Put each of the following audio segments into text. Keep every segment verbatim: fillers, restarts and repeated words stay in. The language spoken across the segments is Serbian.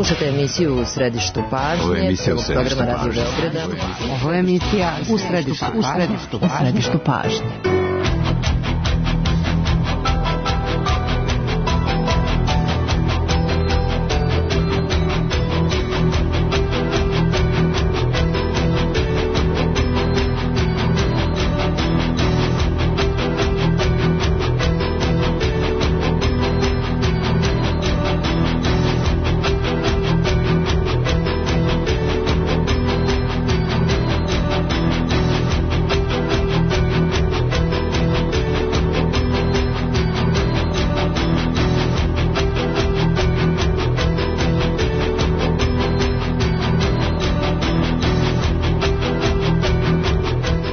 Slušajte emisiju U središtu pažnje. Ovo je emisija U središtu pažnje. Ovo je emisija U središtu pažnje. U središtu pažnje.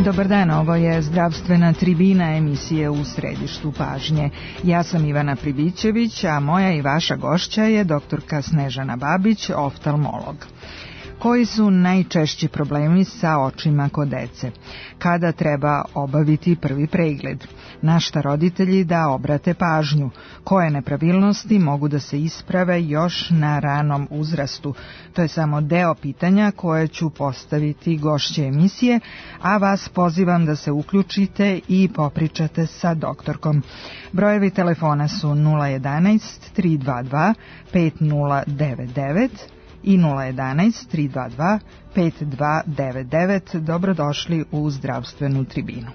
Dobar dan, ovo je zdravstvena tribina emisije U središtu pažnje. Ja sam Ivana Pribićević, a moja i vaša gošća je doktorka Snežana Babić, oftalmolog. Koji su najčešći problemi sa očima kod dece? Kada treba obaviti prvi pregled? Na šta roditelji da obrate pažnju? Koje nepravilnosti mogu da se isprave još na ranom uzrastu? To je samo deo pitanja koje ću postaviti gošće emisije, a vas pozivam da se uključite i popričate sa doktorkom. Brojevi telefona su nula jedanaest tri dva dva pet nula devet devet i nula jedanaest tri dva dva pet dva devet devet. Dobrodošli u zdravstvenu tribinu.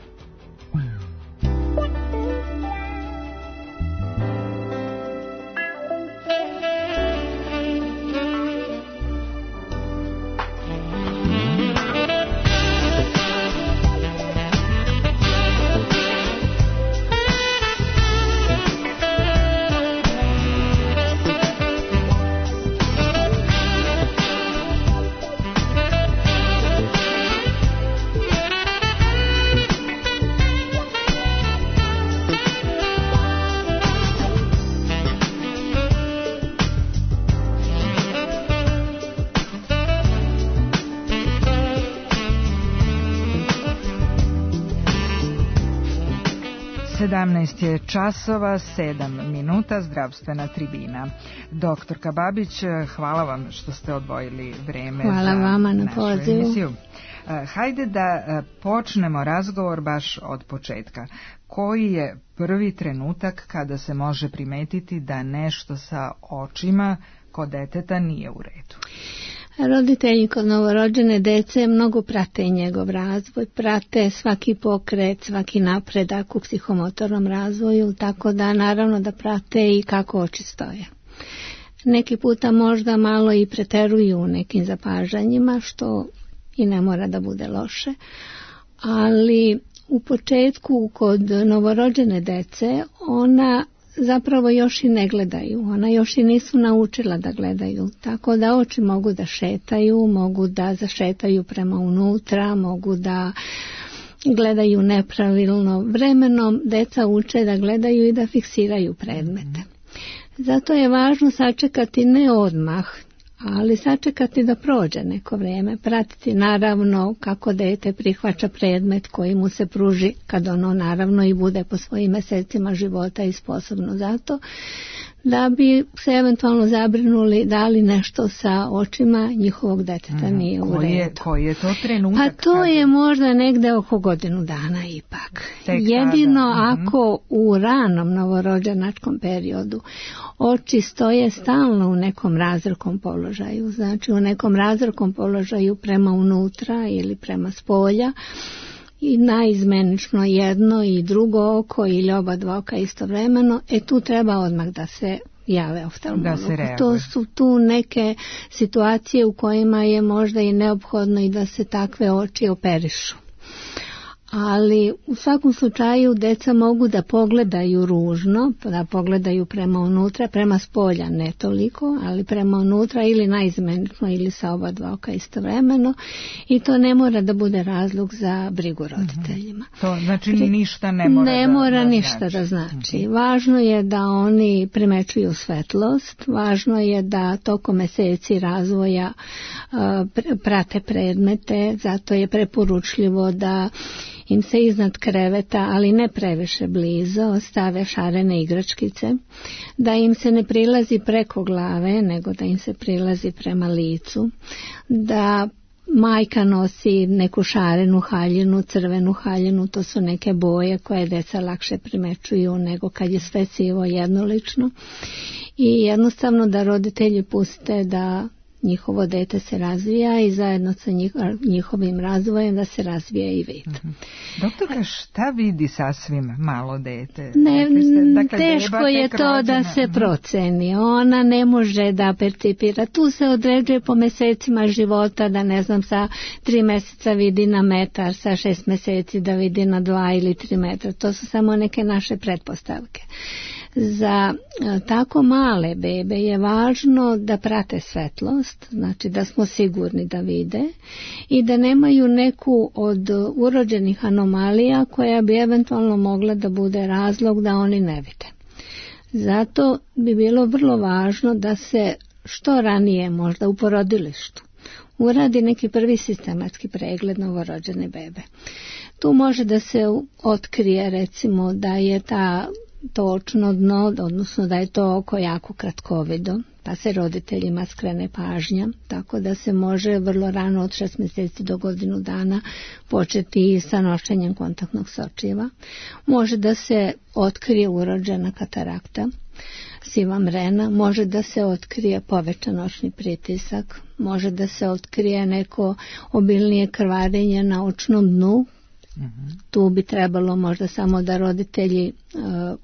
sedamnaest je časova, sedam minuta, zdravstvena tribina. Doktorka Babić, hvala vam što ste odvojili vreme hvala za vama na našu pozivu. Emisiju. Hajde da počnemo razgovor baš od početka. Koji je prvi trenutak kada se može primetiti da nešto sa očima kod deteta nije u redu? Roditelji kod novorođene dece mnogo prate njegov razvoj, prate svaki pokret, svaki napredak u psihomotornom razvoju, tako da naravno da prate i kako oči stoje. Neki puta možda malo i preteruju u nekim zapažanjima, što i ne mora da bude loše, ali u početku kod novorođene dece ona zapravo još i ne gledaju, ona još i nisu naučila da gledaju, tako da oči mogu da šetaju, mogu da zašetaju prema unutra, mogu da gledaju nepravilno. Vremenom deca uče da gledaju i da fiksiraju predmete. Zato je važno sačekati ne odmah, ali sačekati da prođe neko vrijeme, pratiti naravno kako dete prihvaća predmet koji mu se pruži kad ono naravno i bude po svojim mjesecima života i sposobno za to, da bi se eventualno zabrinuli da li nešto sa očima njihovog deteta mm, nije u redu. Je, koji je to trenutak? Pa to je možda negde oko godinu dana ipak. Tek Jedino tada. ako u ranom novorođenačkom periodu oči stoje stalno u nekom razrkom položaju, znači u nekom razrkom položaju prema unutra ili prema spolja, i naizmenično jedno i drugo oko ili oba dva oka istovremeno, e tu treba odmah da se jave oftalmologu. To su tu neke situacije u kojima je možda i neophodno i da se takve oči operišu. Ali u svakom slučaju deca mogu da pogledaju ružno, da pogledaju prema unutra, prema spolja ne toliko, ali prema unutra ili naizmenično ili sa oba dva oka istovremeno, i to ne mora da bude razlog za brigu roditeljima. To znači ništa ne mora, ne da, mora da ništa znači. da znači. Važno je da oni primećuju svetlost, važno je da tokom meseci razvoja uh, prate predmete, zato je preporučljivo da im se iznad kreveta, ali ne previše blizu, stave šarene igračkice, da im se ne prilazi preko glave, nego da im se prilazi prema licu, da majka nosi neku šarenu haljinu, crvenu haljinu, to su neke boje koje deca lakše primećuju nego kad je sve sivo jednolično, i jednostavno da roditelji puste da njihovo dete se razvija i zajedno sa njihovim razvojem da se razvija i vid. Mm-hmm. Doktorka, šta vidi sasvim malo dete? Ne, dakle, teško je to rođena. Da se proceni. Ona ne može da percipira. Tu se određuje po mesecima života, da ne znam, sa tri meseca vidi na metar, sa šest meseci da vidi na dva ili tri metra. To su samo neke naše pretpostavke. Za tako male bebe je važno da prate svetlost, znači da smo sigurni da vide i da nemaju neku od urođenih anomalija koja bi eventualno mogla da bude razlog da oni ne vide. Zato bi bilo vrlo važno da se što ranije, možda u porodilištu, uradi neki prvi sistematski pregled novorođene bebe. Tu može da se otkrije recimo da je ta točno dno, odnosno da je to oko jako kratkovido, pa se roditeljima skrene pažnja, tako da se može vrlo rano od šest mjeseci do godinu dana početi sa nošenjem kontaktnog sočiva. Može da se otkrije urođena katarakta, siva mrena, može da se otkrije povećan očni pritisak, može da se otkrije neko obilnije krvarenje na očnom dnu. Mm-hmm. Tu bi trebalo možda samo da roditelji uh,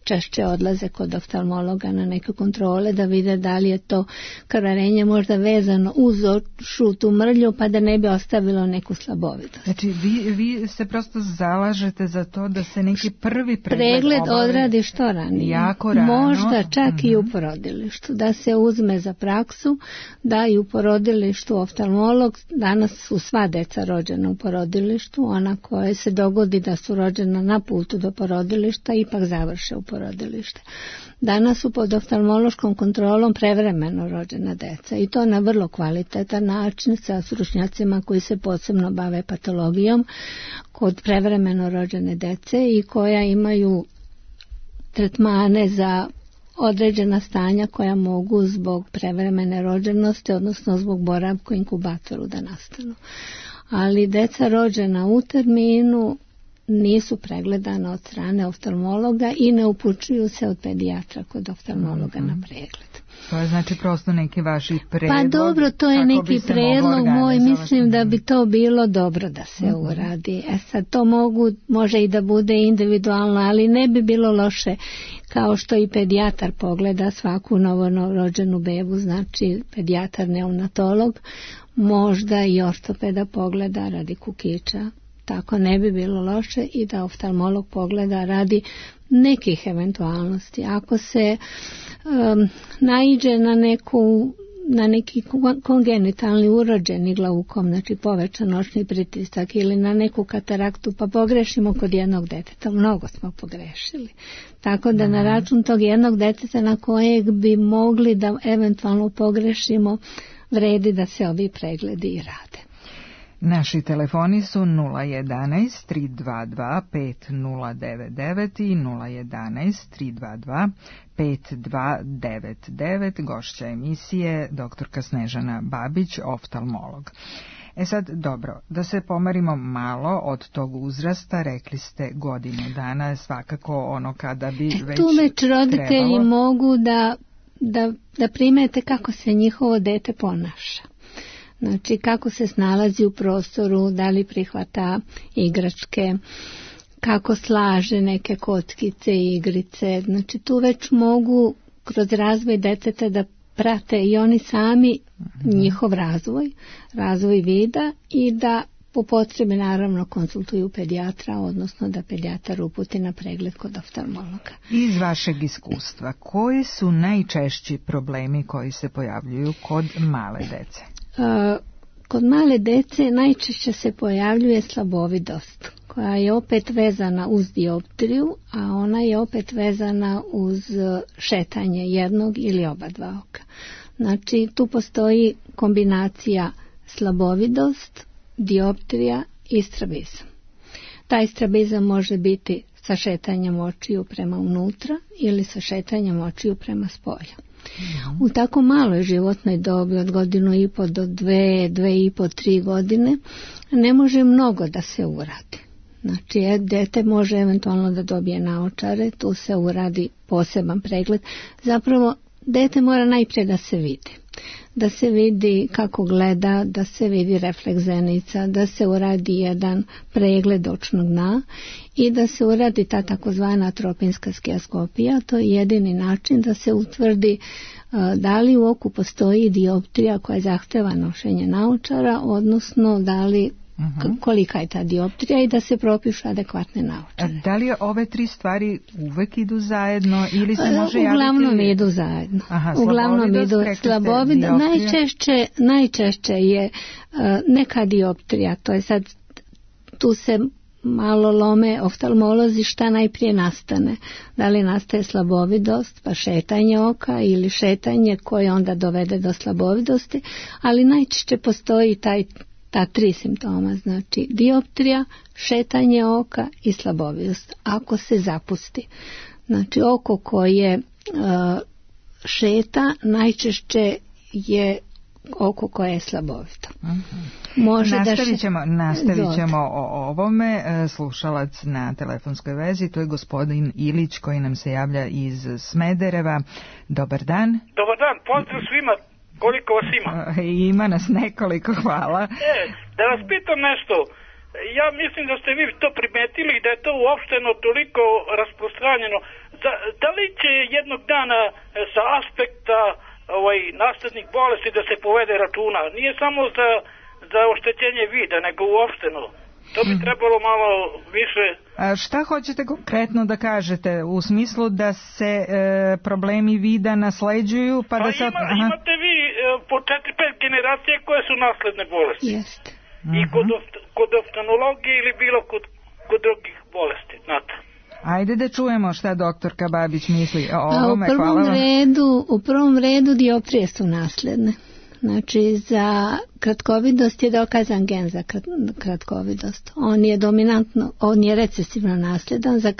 češće odlaze kod oftalmologa na neke kontrole da vide da li je to krvarenje možda vezano uz žutu mrlju pa da ne bi ostavilo neku slabovidost. Znači vi, vi se prosto zalažete za to da se neki prvi pregled, pregled odradi što ranije. Jako rano. Možda čak mm-hmm. i u porodilištu. Da se uzme za praksu, da i u porodilištu oftalmolog, danas su sva deca rođena u porodilištu, ona koja se dogodi da su rođena na putu do porodilišta ipak završe u porodilištu. Rodilište. Danas su pod oftalmološkom kontrolom prevremeno rođena deca i to na vrlo kvalitetan način sa stručnjacima koji se posebno bave patologijom kod prevremeno rođene dece i koja imaju tretmane za određena stanja koja mogu zbog prevremene rođenosti, odnosno zbog boravka u inkubatoru da nastanu. Ali deca rođena u terminu nisu pregledana od strane oftalmologa i ne upućuju se od pedijatra kod oftalmologa mm-hmm. na pregled. To je znači prosto neki vaši predlog. Pa dobro, to je neki predlog moj, mislim da bi to bilo dobro da se mm-hmm. uradi. E sad to mogu, može i da bude individualno, ali ne bi bilo loše kao što i pedijatar pogleda svaku novorođenu bebu, znači pedijatar neonatolog, možda i ortopeda pogleda radi kukića. Tako ne bi bilo loše i da oftalmolog pogleda radi nekih eventualnosti. Ako se um, naiđe na neku na neki kongenitalni urođeni glaukom, znači povećan očni pritisak ili na neku kataraktu, pa pogrešimo kod jednog deteta, mnogo smo pogrešili. Tako da na račun tog jednog deteta na kojeg bi mogli da eventualno pogrešimo, vredi da se ovi pregledi i rade. Naši telefoni su nula jedanaest tri dva dva pet nula devet devet i nula jedanaest tri dva dva pet dva devet devet. Gošća emisije doktorka Snežana Babić, oftalmolog. E sad, dobro, da se pomerimo malo od tog uzrasta, rekli ste godinu dana, svakako ono kada bi već tu već roditelji trebalo... mogu da, da, da primete kako se njihovo dete ponaša. Znači kako se snalazi u prostoru, da li prihvata igračke, kako slaže neke kockice i igrice. Znači tu već mogu kroz razvoj deteta da prate i oni sami njihov razvoj, razvoj vida i da po potrebi naravno konsultuju pedijatra, odnosno da pedijatar uputi na pregled kod oftalmologa. Iz vašeg iskustva, koji su najčešći problemi koji se pojavljuju kod male dece? Kod male dece najčešće se pojavljuje slabovidost, koja je opet vezana uz dioptriju, a ona je opet vezana uz šetanje jednog ili oba dva oka. Znači tu postoji kombinacija slabovidost, dioptrija i strabizam. Taj strabizam može biti sa šetanjem očiju prema unutra ili sa šetanjem očiju prema spolja. Mm-hmm. U tako maloj životnoj dobi od godinu i po do dve, dve i po, tri godine ne može mnogo da se uradi. Znači, dete može eventualno da dobije naočare, tu se uradi poseban pregled. Zapravo, dete mora najprije da se vidi. Da se vidi kako gleda, da se vidi refleks zenica, da se uradi jedan pregled očnog dna i da se uradi ta takozvana atropinska skijaskopija. To je jedini način da se utvrdi uh, da li u oku postoji dioptrija koja zahteva nošenje naočara, odnosno da li Uh-huh. kolika je ta dioptrija i da se propišu adekvatne naočare. Da li ove tri stvari uvek idu zajedno ili se može javiti? Uglavnom idu zajedno. Aha, Uglavnom idu slabovid. Najčešće, najčešće je uh, neka dioptrija, to je sad, tu se malo lome oftalmolozi šta najprije nastane. Da li nastaje slabovidost, pa šetanje oka ili šetanje koje onda dovede do slabovidosti, ali najčešće postoji taj ta tri simptoma, znači dioptrija, šetanje oka i slabovidost. Ako se zapusti, znači oko koje uh, šeta najčešće je oko koje je slabovito. Uh-huh. Može nastavit ćemo, da še... nastavit ćemo o ovome. Slušalac na telefonskoj vezi, to je gospodin Ilić koji nam se javlja iz Smedereva. Dobar dan. Dobar dan, pozdrav svima. Koliko vas ima? Ima nas nekoliko, hvala. E, da vas pitam nešto. Ja mislim da ste vi to primetili i da je to uopšteno toliko rasprostranjeno. Da, da li će jednog dana sa aspekta ovaj, naslednih bolesti da se povede računa? Nije samo za, za oštećenje vida, nego uopšteno. To bi trebalo malo više... A šta hoćete konkretno da kažete? U smislu da se e, problemi vida nasleđuju? Pa, pa da se... Ima, imate vi e, po četiri pet generacije koje su nasledne bolesti. Jeste. I kod, kod oftalmologije ili bilo kod, kod drugih bolesti, znate. Ajde da čujemo šta doktorka Babić misli o ovome. U prvom, redu, u prvom redu dioptrije su nasledne. Znači, za kratkovidost je dokazan gen za kratkovidost. On je dominantno, on je recesivno nasljedan za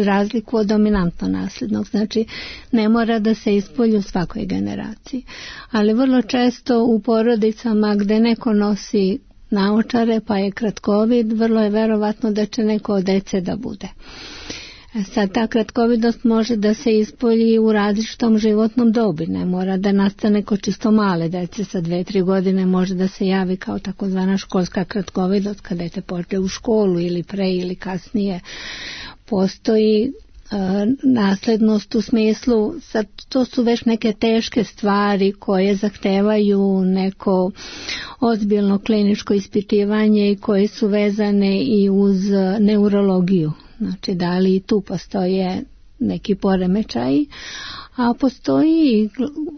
razliku od dominantno nasljednog. Znači, ne mora da se ispolji u svakoj generaciji. Ali vrlo često u porodicama gde neko nosi naočare pa je kratkovid, vrlo je verovatno da će neko od dece da bude. Sad, ta kratkovidost može da se ispolji u različitom životnom dobi, ne mora da nastane kod čisto male dece, sa dve, tri godine može da se javi kao takozvana školska kratkovidost kad dete pođe u školu ili pre ili kasnije. Postoji e, naslednost u smislu, sad to su već neke teške stvari koje zahtevaju neko ozbiljno kliničko ispitivanje i koje su vezane i uz neurologiju. Znači, da li tu postoje neki poremećaji, a postoji i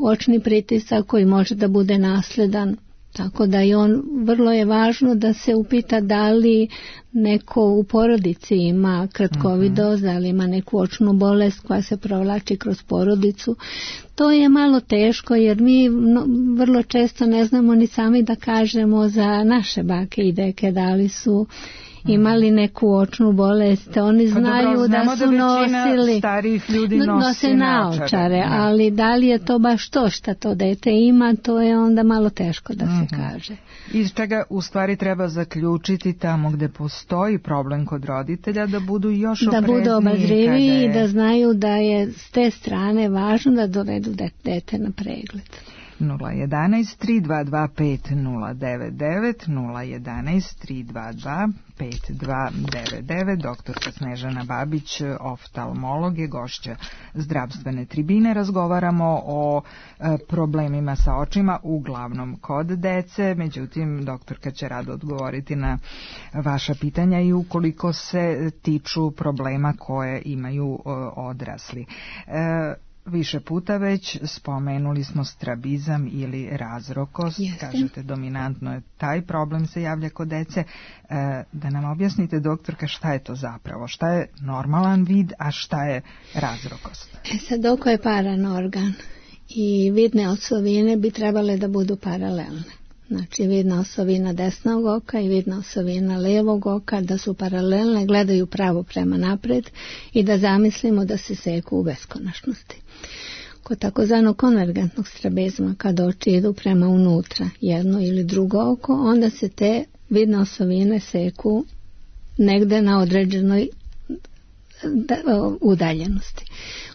očni pritisak koji može da bude nasledan, tako da i on, vrlo je važno da se upita da li neko u porodici ima kratkovidost, da li ima neku očnu bolest koja se provlači kroz porodicu. To je malo teško jer mi vrlo često ne znamo ni sami da kažemo za naše bake i deke da li su imali neku očnu bolest, oni znaju pa dobro, da su da nosili starijih ljudi nosi nose naočare, ne. Ali da li je to baš to što to dete ima, to je onda malo teško da mm-hmm. se kaže. Iz čega u stvari treba zaključiti tamo gde postoji problem kod roditelja da budu još da oprezniji. Da budu obazrivi i da znaju da je s te strane važno da dovedu dete na pregled. nula jedan tri dva dva pet nula devet devet nula jedan tri dva dva pet dva devet devet. Doktorka Snežana Babić, oftalmolog, je gošća zdravstvene tribine. Razgovaramo o e, problemima sa očima, uglavnom kod dece, međutim doktorka će rado odgovoriti na vaša pitanja i ukoliko se tiču problema koje imaju e, odrasli. E, Više puta već spomenuli smo strabizam ili razrokost. Jeste. Kažete dominantno je taj problem se javlja kod dece. E, da nam objasnite, doktorka, šta je to zapravo? Šta je normalan vid, a šta je razrokost? E sad, oko je paranorgan i vidne osovine bi trebale da budu paralelne. Znači vidna osovina desnog oka i vidna osovina levog oka da su paralelne, gledaju pravo prema napred i da zamislimo da se seku u beskonačnosti. Kod takozvanog konvergentnog strabizma, kada oči idu prema unutra, jedno ili drugo oko, onda se te vidne osovine seku negde na određenoj udaljenosti.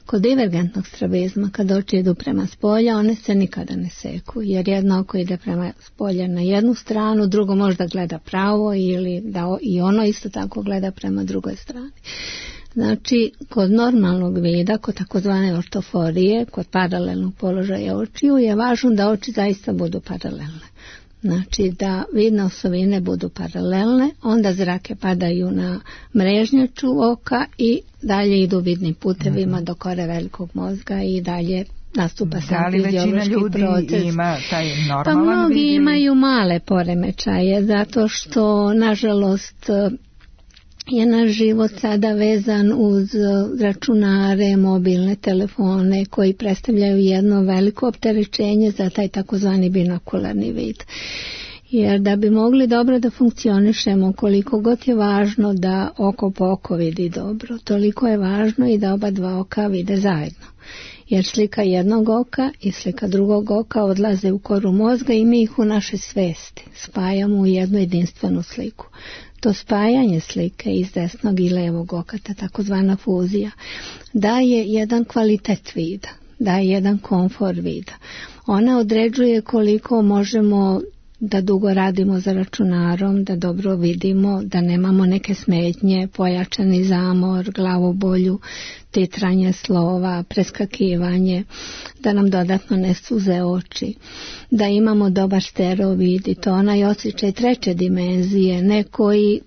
Kod divergentnog strabizma, kada oči idu prema spolja, one se nikada ne seku, jer jedno oko ide prema spolja na jednu stranu, drugo možda gleda pravo ili da i ono isto tako gleda prema drugoj strani. Znači, kod normalnog vida, kod takozvane ortoforije, kod paralelnog položaja očiju, je važno da oči zaista budu paralelne. Znači, da vidne osovine budu paralelne, onda zrake padaju na mrežnjaču oka i dalje idu vidnim putevima mm-hmm. do kore velikog mozga i dalje nastupa sam fiziološki proces. Da li većina ljudi ima taj normalan pa mnogi vid ili... imaju male poremećaje, zato što, nažalost, je naš život sada vezan uz računare, mobilne telefone koji predstavljaju jedno veliko opterećenje za taj takozvani binokularni vid. Jer da bi mogli dobro da funkcionišemo, koliko god je važno da oko po oko vidi dobro, toliko je važno i da oba dva oka vide zajedno. Jer slika jednog oka i slika drugog oka odlaze u koru mozga i mi ih u našoj svesti spajamo u jednu jedinstvenu sliku. To spajanje slike iz desnog i levog oka, ta takozvana fuzija, daje jedan kvalitet vida, daje jedan komfor vida. Ona određuje koliko možemo da dugo radimo za računarom, da dobro vidimo, da nemamo neke smetnje, pojačani zamor, glavobolju, titranje slova, preskakivanje, da nam dodatno ne suze oči, da imamo dobar stereo vid i to onaj osjećaj treće dimenzije, ne koji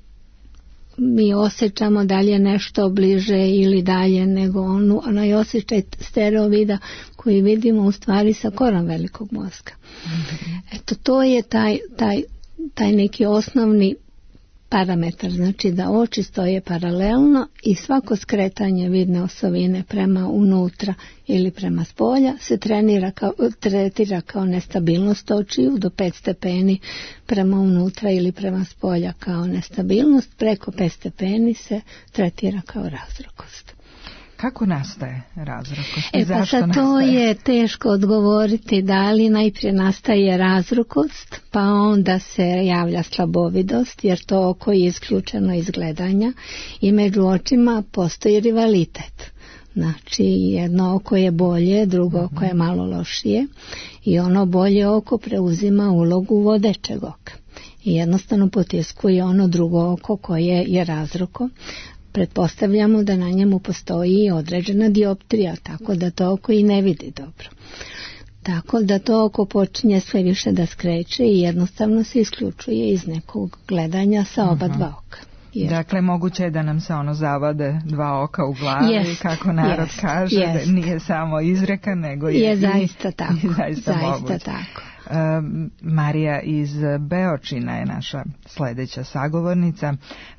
mi osjećamo da li je nešto bliže ili dalje, nego onu, onaj osjećaj stereo vida koji vidimo u stvari sa korom velikog mozga. Mm-hmm. Eto, to je taj, taj, taj neki osnovni parametar, znači da oči stoje paralelno i svako skretanje vidne osovine prema unutra ili prema spolja se trenira kao, tretira kao nestabilnost očiju do pet stepeni prema unutra ili prema spolja kao nestabilnost, preko pet stepeni se tretira kao razrokost. Kako nastaje razrokost? E pa sad to je teško odgovoriti, da li najprije nastaje razrokost, pa onda se javlja slabovidost, jer to oko je isključeno iz gledanja i među očima postoji rivalitet. Znači jedno oko je bolje, drugo mm-hmm. oko je malo lošije i ono bolje oko preuzima ulogu vodećeg oka i jednostavno potiskuje ono drugo oko koje je razroko. Pretpostavljamo da na njemu postoji određena dioptrija, tako da to oko i ne vidi dobro. Tako da to oko počinje sve više da skreće i jednostavno se isključuje iz nekog gledanja sa oba uh-huh. dva oka. Jer... Dakle, moguće je da nam se ono zavade dva oka u glavi, jest, kako narod jest, kaže, jest. Da nije samo izreka, nego je, je i, zaista tako. I zaista, zaista tako. Um, Marija iz Beočina je naša sljedeća sagovornica.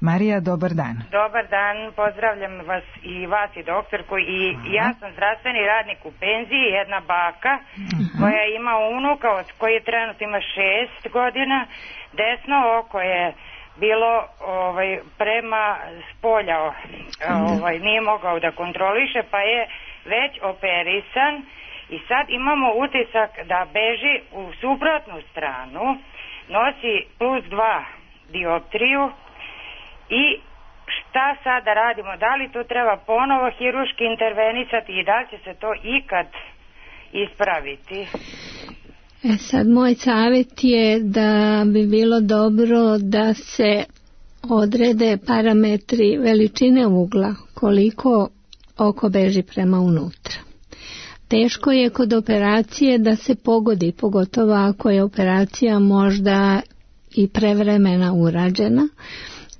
Marija, dobar dan. Dobar dan, pozdravljam vas i vas i doktorku i Aha. ja sam zdravstveni radnik u penziji, jedna baka Aha. koja ima unuka od koji trenutno ima šest godina, desno oko je bilo ovaj, prema spolja, ovaj, nije mogao da kontroliše pa je već operisan. I sad imamo utisak da beži u suprotnu stranu, nosi plus dva dioptriju i šta sad da radimo? Da li to treba ponovo hiruški intervenisati i da li će se to ikad ispraviti? E sad, moj savjet je da bi bilo dobro da se odrede parametri veličine ugla, koliko oko beži prema unutra. Teško je kod operacije da se pogodi, pogotovo ako je operacija možda i prevremena urađena,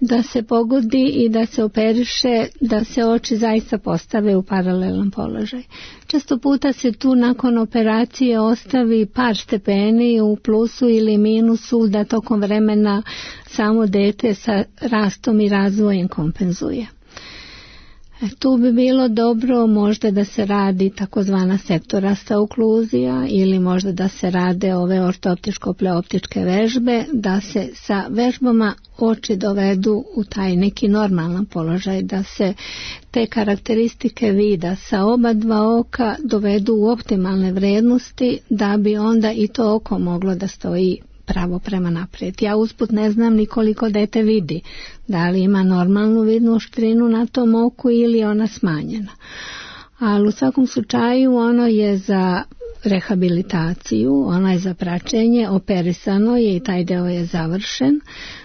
da se pogodi i da se operiše, da se oči zaista postave u paralelan položaj. Često puta se tu nakon operacije ostavi par stepeni u plusu ili minusu da tokom vremena samo dete sa rastom i razvojem kompenzuje. Tu bi bilo dobro možda da se radi takozvana sektorasta okluzija ili možda da se rade ove ortoptičko-pleoptičke vežbe, da se sa vežbama oči dovedu u taj neki normalan položaj, da se te karakteristike vida sa oba dva oka dovedu u optimalne vrednosti da bi onda i to oko moglo da stoji pravo prema naprijed. Ja usput ne znam ni koliko dete vidi, da li ima normalnu vidnu oštrinu na tom oku ili je ona smanjena. Ali u svakom slučaju ono je za rehabilitaciju, ono je za praćenje, operisano je i taj deo je završen.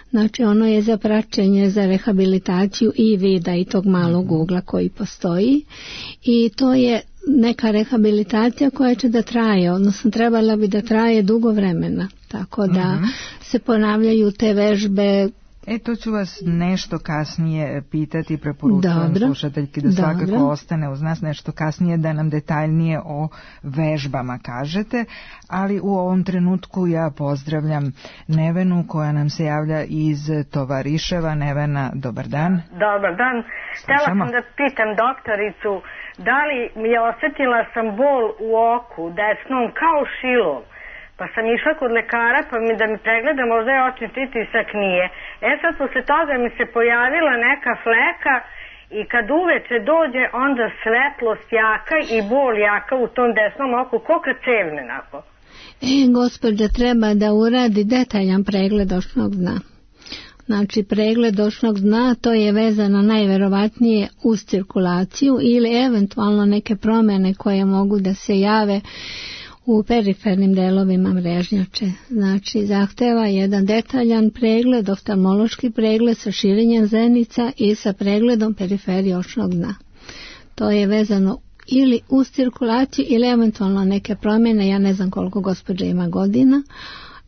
Znači ono je za praćenje, za rehabilitaciju i vida i tog malog ugla koji postoji i to je neka rehabilitacija koja će da traje, odnosno trebala bi da traje dugo vremena, tako da mm-hmm. se ponavljaju te vežbe. E, to ću vas nešto kasnije pitati, preporučujem slušateljki da svakako Dobro. ostane uz nas nešto kasnije da nam detaljnije o vežbama kažete, ali u ovom trenutku ja pozdravljam Nevenu koja nam se javlja iz Tovariševa. Nevena, dobar dan. Dobar dan. Htjela sam da pitam doktoricu da li mi je osjetila sam bol u oku desnom kao šilom. Pa sam išla kod lekara pa mi da mi pregleda možda je očni pritisak nije. E sad posle toga mi se pojavila neka fleka i kad uveče dođe onda svetlost jaka i bol jaka u tom desnom oku, ko kad cevne nako. E, gospođa treba da uradi detaljan pregled očnog dna. Znači pregled očnog dna to je vezano najverovatnije uz cirkulaciju ili eventualno neke promjene koje mogu da se jave u perifernim delovima mrežnjače. Znači zahteva jedan detaljan pregled, oftalmološki pregled sa širenjem zenica i sa pregledom periferije očnog dna. To je vezano ili uz cirkulaciju ili eventualno neke promjene, ja ne znam koliko gospođa ima godina,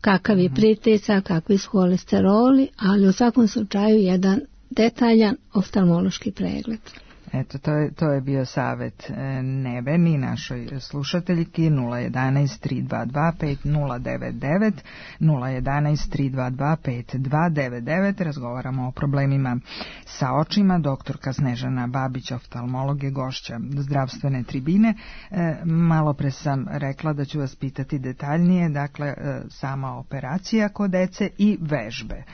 kakav je pritisak, kakvi su holesteroli, ali u svakom slučaju jedan detaljan oftalmološki pregled. Eto, to je, to je bio savjet Neveni, našoj slušateljki. Nula jedanaest tri dva dva pet nula devet devet, nula jedanaest tri dva dva pet dva devet devet. Razgovaramo o problemima sa očima. Doktorka Snežana Babić, oftalmolog, je gošća zdravstvene tribine. E, malo pre sam rekla da ću vas pitati detaljnije, dakle, e, sama operacija kod dece i vežbe.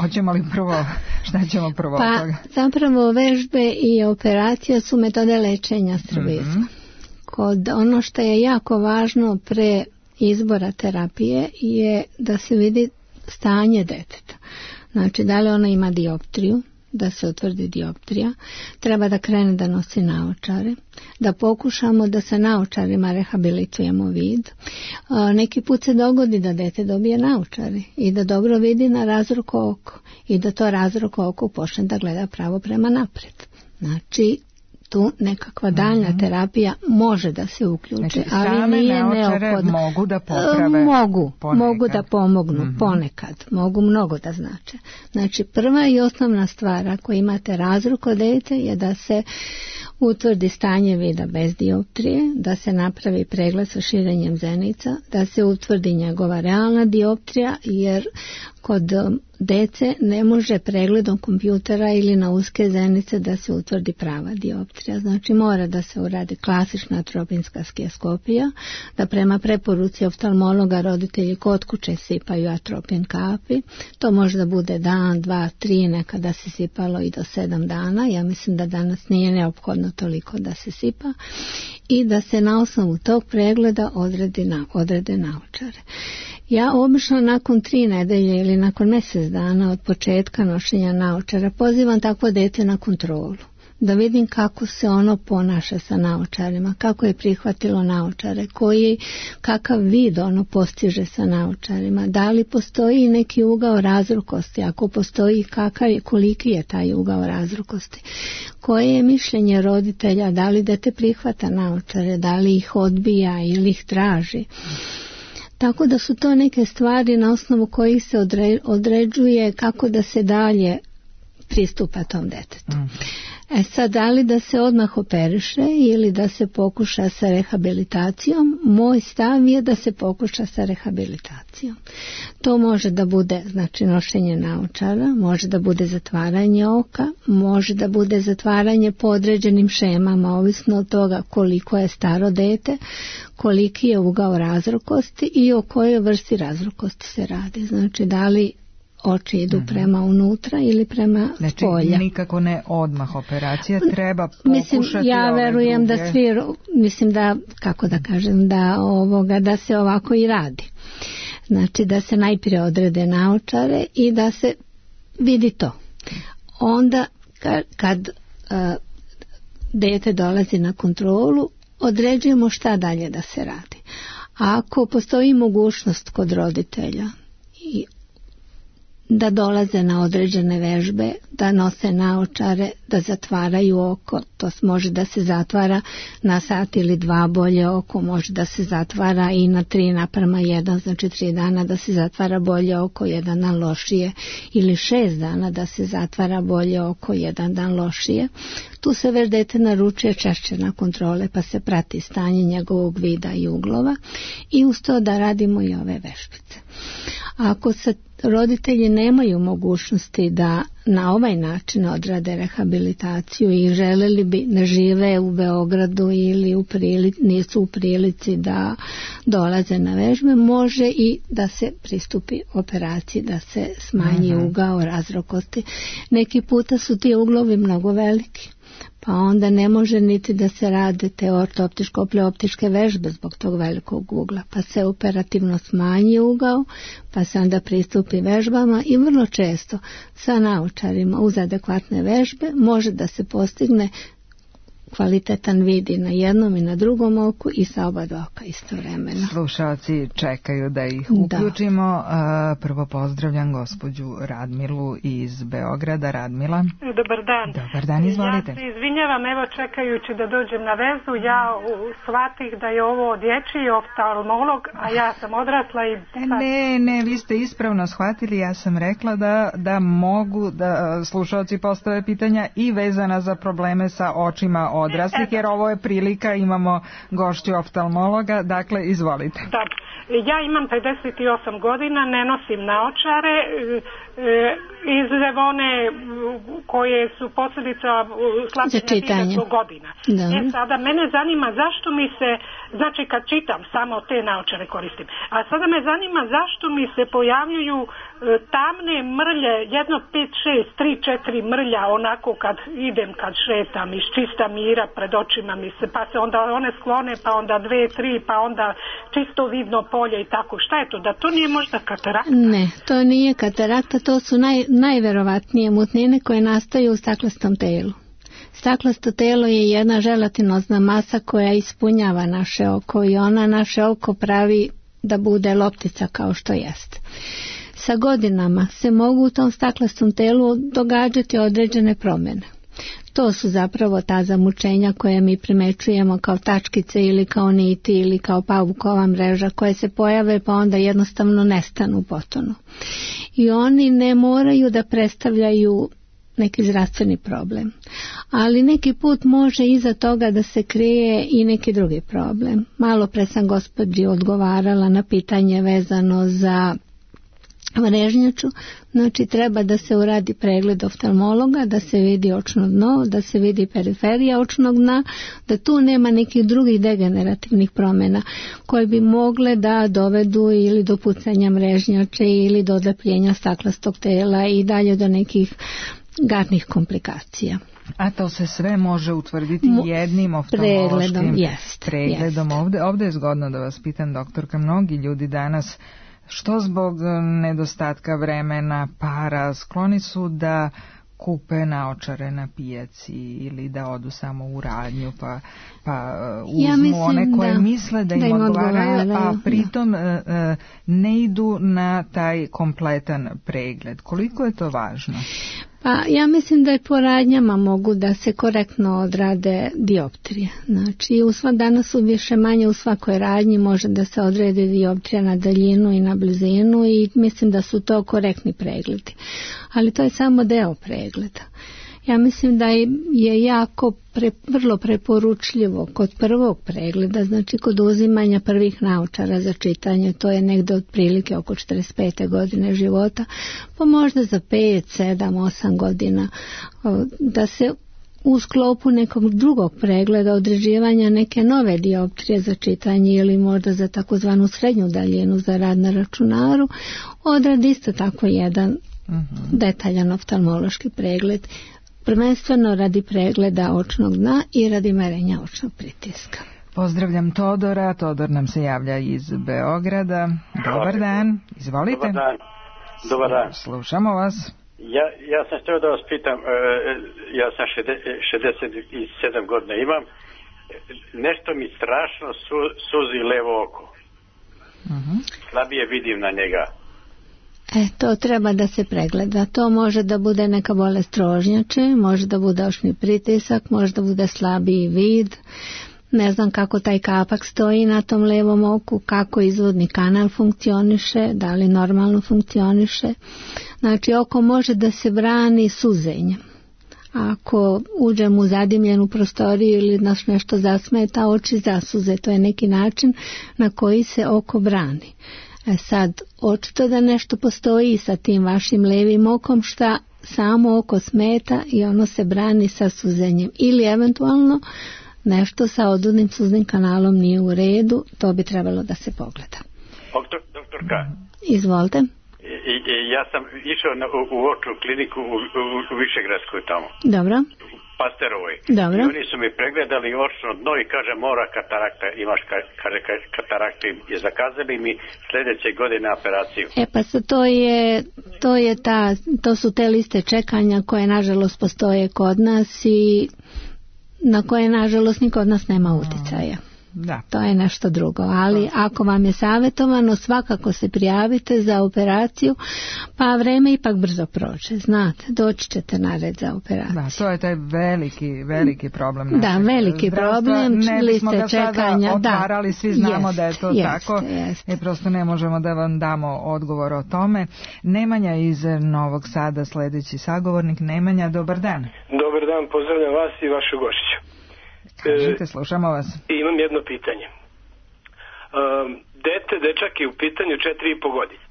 Hoćemo li prvo, šta ćemo prvo? Pa toga? Zapravo vežbe i operacija su metode lečenja strabizma. Mm-hmm. Kod ono što je jako važno pre izbora terapije je da se vidi stanje deteta. Znači da li ona ima dioptriju, da se utvrdi dioptrija, treba da krene da nosi naočare, da pokušamo da sa naočarima rehabilitujemo vid. Neki put se dogodi da dete dobije naočare i da dobro vidi na razroko oko i da to razroko oko počne da gleda pravo prema naprijed. Znači tu nekakva daljna mm-hmm. terapija može da se uključi, znači, ali nije neophodno. Mogu da poprave mogu, ponekad. mogu da pomognu mm-hmm. ponekad, mogu mnogo da znače. Znači prva i osnovna stvar ako imate razrok kod dete je da se utvrdi stanje vida bez dioptrije, da se napravi pregled sa širenjem zenica, da se utvrdi njegova realna dioptrija, jer kod dece ne može pregledom kompjutera ili na uske zenice da se utvrdi prava dioptrija. Znači mora da se uradi klasična atropinska skijeskopija, da prema preporuci oftalmologa roditelji kod kuće sipaju atropin kapi. To može da bude dan, dva, tri, nekada se sipalo i do sedam dana. Ja mislim da danas nije neophodno toliko da se sipa i da se na osnovu tog pregleda odredi na, odrede naočare. Ja obično nakon tri nedelje ili nakon mjesec dana od početka nošenja naočara pozivam takvo dete na kontrolu. Da vidim kako se ono ponaša sa naočarima, kako je prihvatilo naočare, koji, kakav vid ono postiže sa naočarima, da li postoji neki ugao razrukosti, ako postoji kakav je, koliki je taj ugao razrukosti, koje je mišljenje roditelja, da li dete prihvata naočare, da li ih odbija ili ih traži. Tako da su to neke stvari na osnovu kojih se odre, određuje kako da se dalje pristupa tom detetu. Mm. E sad, da li da se odmah operiše ili da se pokuša sa rehabilitacijom? Moj stav je da se pokuša sa rehabilitacijom. To može da bude, znači, nošenje naočara, može da bude zatvaranje oka, može da bude zatvaranje po određenim šemama, ovisno od toga koliko je staro dete, koliki je ugao razrokosti i o kojoj vrsti razrokosti se radi. Znači, da li oči idu mm-hmm. prema unutra ili prema znači, spolja. Znači, nikako ne odmah operacija, treba pokušati mislim, ja ove verujem druge... da svi, mislim da, kako da kažem, da, ovoga, da se ovako i radi. Znači, da se najprije odrede naočare i da se vidi to. Onda, kad, kad uh, dete dolazi na kontrolu, određujemo šta dalje da se radi. A ako postoji mogućnost kod roditelja i da dolaze na određene vežbe, da nose naočare, da zatvaraju oko, to može da se zatvara na sat ili dva bolje oko, može da se zatvara i na tri naprama jedan, znači tri dana da se zatvara bolje oko, jedan dan lošije, ili šest dana da se zatvara bolje oko, jedan dan lošije. Tu se već dete naručuje češće na kontrole, pa se prati stanje njegovog vida i uglova i uz to da radimo i ove vežbice. Ako se roditelji nemaju mogućnosti da na ovaj način odrade rehabilitaciju i želeli bi, ne žive u Beogradu ili u prilici, nisu u prilici da dolaze na vežbe, može i da se pristupi operaciji, da se smanji Aha. ugao razrokosti. Neki puta su ti uglovi mnogo veliki, pa onda ne može niti da se rade te ortoptičko-pleoptičke vežbe zbog tog velikog ugla, pa se operativno smanji ugao, pa se onda pristupi vežbama i vrlo često sa naočarima uz adekvatne vežbe može da se postigne kvalitetan vid i na jednom i na drugom oku i sa oba dva oka istovremeno. Slušalci čekaju da ih uključimo. Da. Prvo pozdravljam gospođu Radmilu iz Beograda. Radmila. Dobar dan. Dobar dan, izvolite. Ja se izvinjavam, evo čekajući da dođem na vezu, ja shvatih da je ovo dječji oftalmolog, a ja sam odrasla i... Ne, ne, vi ste ispravno shvatili, ja sam rekla da, da mogu da slušalci postave pitanja i vezana za probleme sa očima odraslih, jer ovo je prilika, imamo gošću oftalmologa, dakle izvolite. Da, ja imam pedeset osam godina, ne nosim naočare, iz one koje su posljedica slabljenja vida zbog godina. Da. E sada, mene zanima zašto mi se, znači kad čitam samo te naočare koristim, a sada me zanima zašto mi se pojavljuju tamne mrlje, jedno pet, šest, tri, četiri mrlja, onako kad idem, kad šetam iz čista mira pred očima mi se, pa se onda one sklone, pa onda dve, tri, pa onda čisto vidno polje i tako. Šta je to? Da to nije možda katarakta? Ne, to nije katarakta, to su naj, najverovatnije mutnine koje nastaju u staklastom telu. Staklasto telo je jedna želatinozna masa koja ispunjava naše oko i ona naše oko pravi da bude loptica kao što jest. Sa godinama se mogu u tom staklastom telu događati određene promjene. To su zapravo ta zamučenja koje mi primećujemo kao tačkice ili kao niti ili kao pavukova mreža koje se pojave pa onda jednostavno nestanu potonu. I oni ne moraju da predstavljaju neki zdravstveni problem. Ali neki put može iza toga da se krije i neki drugi problem. Malo pre sam gospođi odgovarala na pitanje vezano za mrežnjaču, znači treba da se uradi pregled oftalmologa, da se vidi očno dno, da se vidi periferija očnog dna, da tu nema nekih drugih degenerativnih promjena koje bi mogle da dovedu ili do pucanja mrežnjače ili do odlepljenja staklastog tela i dalje do nekih garnih komplikacija. A to se sve može utvrditi jednim oftalmološkim pregledom. Jest, pregledom. jest. Ovde, ovde je zgodno da vas pitam, doktorka, mnogi ljudi danas, što zbog nedostatka vremena, para, skloni su da kupe naočare na pijaci ili da odu samo u radnju pa, pa uzmu ja one koje da, misle da im, da im odgovaraju, a pritom da. ne idu na taj kompletan pregled. Koliko je to važno? Pa ja mislim da je po radnjama mogu da se korektno odrade dioptrije. Znači u sva, danas su više manje u svakoj radnji može da se odrede dioptrija na daljinu i na blizinu i mislim da su to korektni pregledi. Ali to je samo deo pregleda. Ja mislim da je jako pre, vrlo preporučljivo kod prvog pregleda, znači kod uzimanja prvih naočara za čitanje, to je negde otprilike oko četrdeset pete godine života, pa možda za pet, sedam, osam godina, da se u sklopu nekog drugog pregleda određivanja neke nove dioptrije za čitanje ili možda za takozvanu srednju daljinu za rad na računaru, odradi isto tako jedan uh-huh. detaljan oftalmološki pregled, prvenstveno radi pregleda očnog dna i radi merenja očnog pritiska. Pozdravljam Todora, Todor nam se javlja iz Beograda. Dobar dan, izvolite. Dobar dan. Dobar dan. Slušamo vas. Ja, ja sam htio da vas pitam, ja sam šezdeset sedam godina imam, nešto mi strašno su, suzi levo oko. Uh-huh. Slabije vidim na njega. E, to treba da se pregleda. To može da bude neka bolest rožnjače, može da bude očni pritisak, može da bude slabiji vid. Ne znam kako taj kapak stoji na tom levom oku, kako izvodni kanal funkcioniše, da li normalno funkcioniše. Znači, oko može da se brani suzenjem. Ako uđem u zadimljenu prostoriju ili nas nešto zasmeta, oči zasuze. To je neki način na koji se oko brani. E sad, očito da nešto postoji sa tim vašim levim okom, šta samo oko smeta i ono se brani sa suzenjem. Ili eventualno nešto sa odudnim suznim kanalom nije u redu, to bi trebalo da se pogleda. Doktor, doktorka. Izvolite. I, i, ja sam išao na, u, u očnu kliniku u, u, u Višegradskoj tamo. Dobro. U Pasterovoj. Dobro. I oni su mi pregledali očno dno i kaže mora katarakta, imaš ka, kaže katarakta i zakazali mi sljedeće godine operaciju. E pa sa to je, to je ta, to su te liste čekanja koje nažalost postoje kod nas i na koje nažalost niko od nas nema uticaja. Da. To je nešto drugo, ali ako vam je savjetovano, svakako se prijavite za operaciju, pa vreme ipak brzo prođe, znate, doći ćete na red za operaciju. Da, to je taj veliki, veliki problem našeg Da, veliki problem, liste čekanja. Otvarali, svi znamo jest, da je to jest, tako jest. I prosto ne možemo da vam damo odgovor o tome. Nemanja iz Novog Sada, sljedeći sagovornik. Nemanja, dobar dan. Dobar dan, pozdravljam vas i vašu gošću. Kažite, slušamo vas. Imam jedno pitanje. Um, dete, dečak je u pitanju četiri i po godine.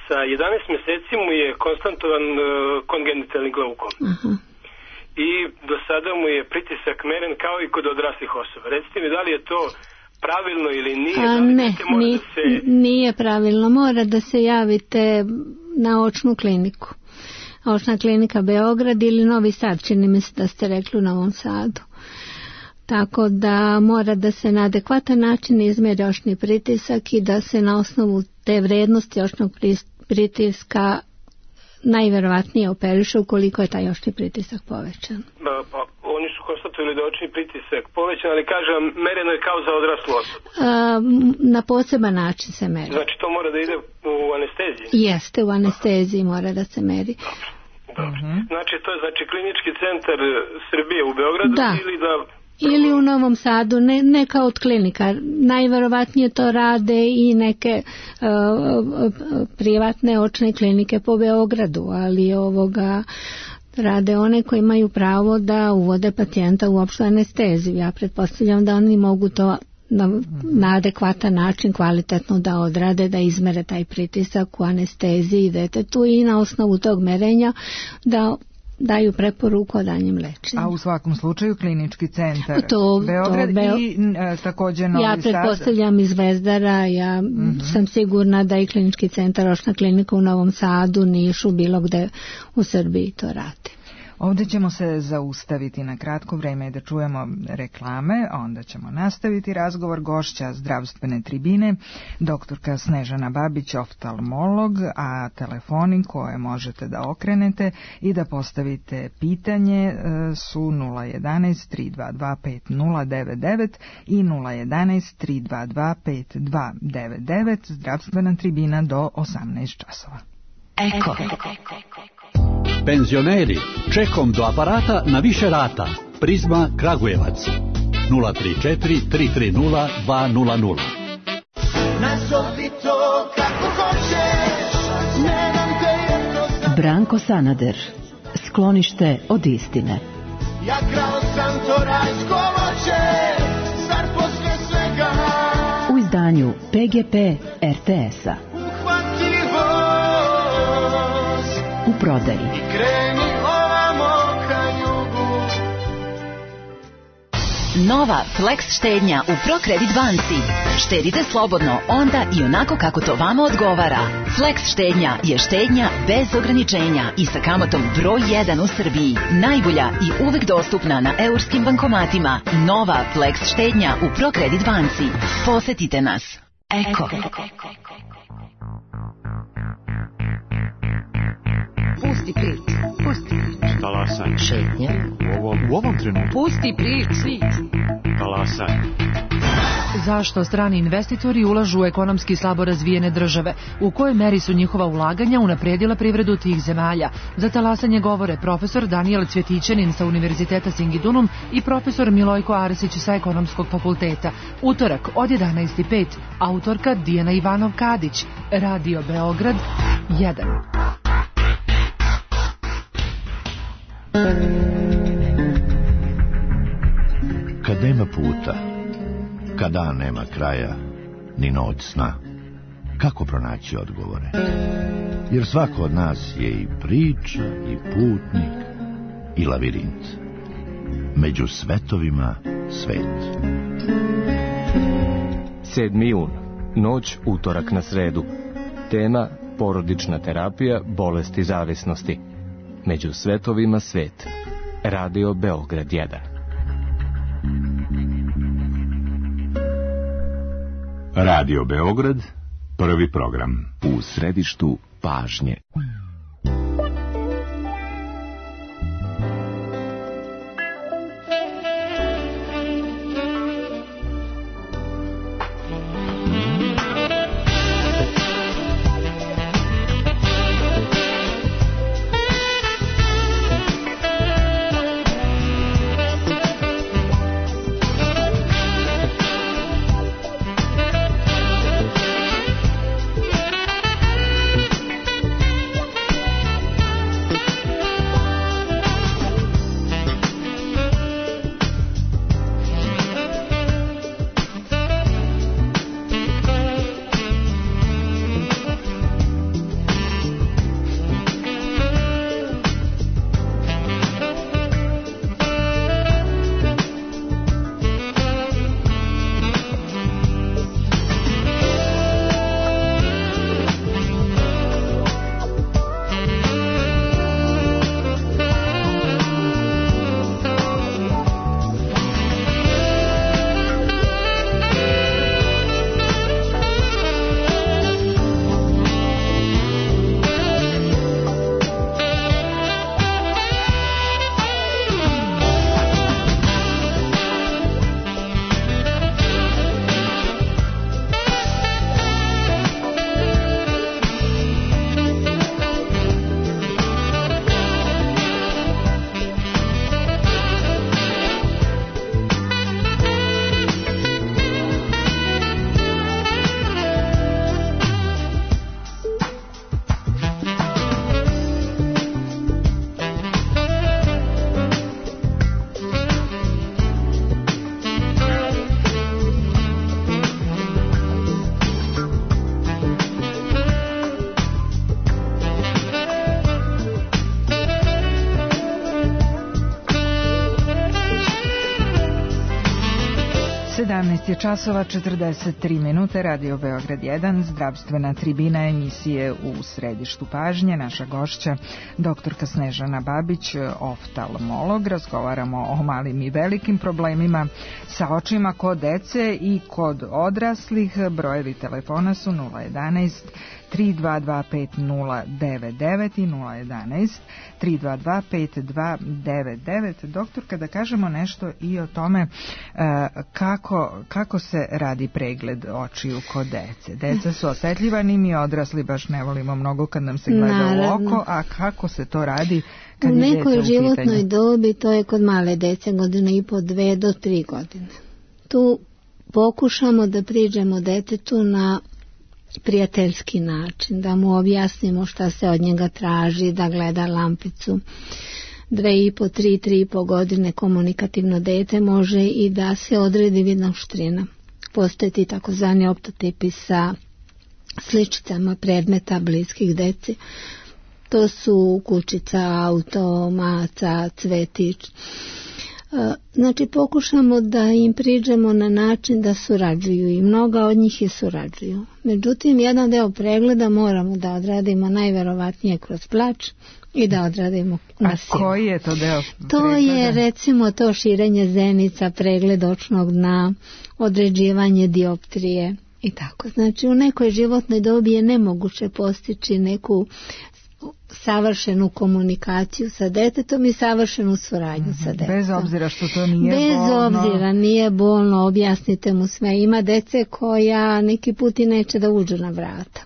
Sa jedanaest mjeseci mu je konstantovan uh, kongenitalni glaukom. Uh-huh. I do sada mu je pritisak meren kao i kod odraslih osoba. Recite mi da li je to pravilno ili nije? A, da li ne, nije, da se... nije pravilno. Mora da se javite na očnu kliniku. Očna klinika Beograd ili Novi Sad, čini mi se da ste rekli u Novom Sadu. Tako da mora da se na adekvatan način izmjeri očni pritisak i da se na osnovu te vrednosti očnog pritiska najverovatnije operiše ukoliko je taj očni pritisak povećan. Pa, pa oni su konstatovali da je očni pritisak povećan, ali kažem, mereno je kao za odraslu osobu. Na poseban način se meri. Znači to mora da ide u anesteziji? Jeste, u anesteziji mora da se meri. Dobro, dobro. Uh-huh. Znači to je znači klinički centar Srbije u Beogradu da. ili da... Ili u Novom Sadu, ne, neka od klinika. Najverovatnije to rade i neke uh, privatne očne klinike po Beogradu, ali ovoga rade one koji imaju pravo da uvode pacijenta u opštu anesteziju. Ja pretpostavljam da oni mogu to na, na adekvatan način kvalitetno da odrade, da izmere taj pritisak u anesteziji detetu i na osnovu tog merenja da daju preporuku o danjem lečenju. A u svakom slučaju klinički centar to, Beograd to, Beo... i e, također Novi Sad. Ja pretpostavljam iz Zvezdara, ja mm-hmm. sam sigurna da i klinički centar, očna klinika u Novom Sadu, Nišu, bilo gde u Srbiji to radi. Ovdje ćemo se zaustaviti na kratko vreme da čujemo reklame, onda ćemo nastaviti razgovor. Gošća zdravstvene tribine, doktorka Snežana Babić, oftalmolog, a telefoni koje možete da okrenete i da postavite pitanje su nula jedanaest tri dva dva pet nula devet devet i nula jedanaest tri dva dva pet dva devet devet, zdravstvena tribina do osamnaest časova. Eko. Penzioneri, čekom do aparata na više rata. Prizma Kragujevac nula tri četiri tri tri nula dva nula nula. Nazovi to kako hoćeš. Branko Sanader. sklonište od istine. Ja krao sam to rajsko voće, zar posle svega u izdanju P G P R T S-a. Uhvati voz u prodaji i kreni ovamo ka jugu. Nova Flex štednja u ProCredit banci. Štedite slobodno onda i onako kako to vama odgovara. Flex štednja je štednja bez ograničenja i sa kamatom broj jedan u Srbiji. Najbolja i uvek dostupna na eurskim bankomatima. Nova Flex štednja u ProCredit banci. Posetite nas. Eko. Pusti priču. Pusti priču. Talasaj. Šetnje. U ovom, u ovom trenutku. Pusti priču. Talasaj. Zašto strani investitori ulažu u ekonomski slabo razvijene države? U kojoj meri su njihova ulaganja unapredila privredu tih zemalja? Za talasanje govore profesor Danijel Cvjetićanin sa Univerziteta Singidunum i profesor Milojko Arsić sa Ekonomskog fakulteta. Utorak od jedanaest i pet. Autorka Dijana Ivanov-Kadić. Radio Beograd jedan. Kad nema puta, kada nema kraja, ni noć sna, kako pronaći odgovore? Jer svako od nas je i priča, i putnik, i lavirint. Među svetovima svet. sedmi jun. Noć, utorak na sredu. Tema: porodična terapija bolesti zavisnosti. Među svetovima svet. Radio Beograd jedan. Radio Beograd, prvi program. U središtu pažnje. sedamnaest je časova četrdeset tri minute, Radio Beograd jedan, zdravstvena tribina emisije u središtu pažnje. Naša gošća, doktorka Snežana Babić, oftalmolog. Razgovaramo o malim i velikim problemima sa očima kod dece i kod odraslih. Brojevi telefona su nula jedanaest tri dva dva pet nula devet devet i nula jedanaest tri dva dva pet dva devet devet. Doktor, kada kažemo nešto i o tome kako, kako se radi pregled očiju kod dece. Deca su osetljivani, mi odrasli baš ne volimo mnogo kad nam se gleda Naravno. u oko, a kako se to radi kad u je djeca u nekoj životnoj pitanju? dobi, to je kod male dece, godine i po, dve do tri godine. Tu pokušamo da priđemo detetu na prijateljski način, da mu objasnimo šta se od njega traži, da gleda lampicu. Dve i po, tri, tri i po godine komunikativno dete može i da se odredi vidna oštrina. Postoje ti takozvani optotipi sa sličicama predmeta bliskih deci. To su kućica, auto, maca, cvetić. Znači pokušamo da im priđemo na način da surađuju i mnoga od njih i surađuju. Međutim, jedan deo pregleda moramo da odradimo najverovatnije kroz plač i da odradimo na silu. A koji je to deo pregleda? To je recimo to širenje zenica, pregled očnog dna, određivanje dioptrije i tako. Znači u nekoj životnoj dobi je nemoguće postići neku savršenu komunikaciju sa detetom i savršenu suradnju mm-hmm. sa detetom. Bez obzira što to nije Bez bolno. Bez obzira, nije bolno, objasnite mu sve. Ima dece koja neki put i neće da uđu na vrata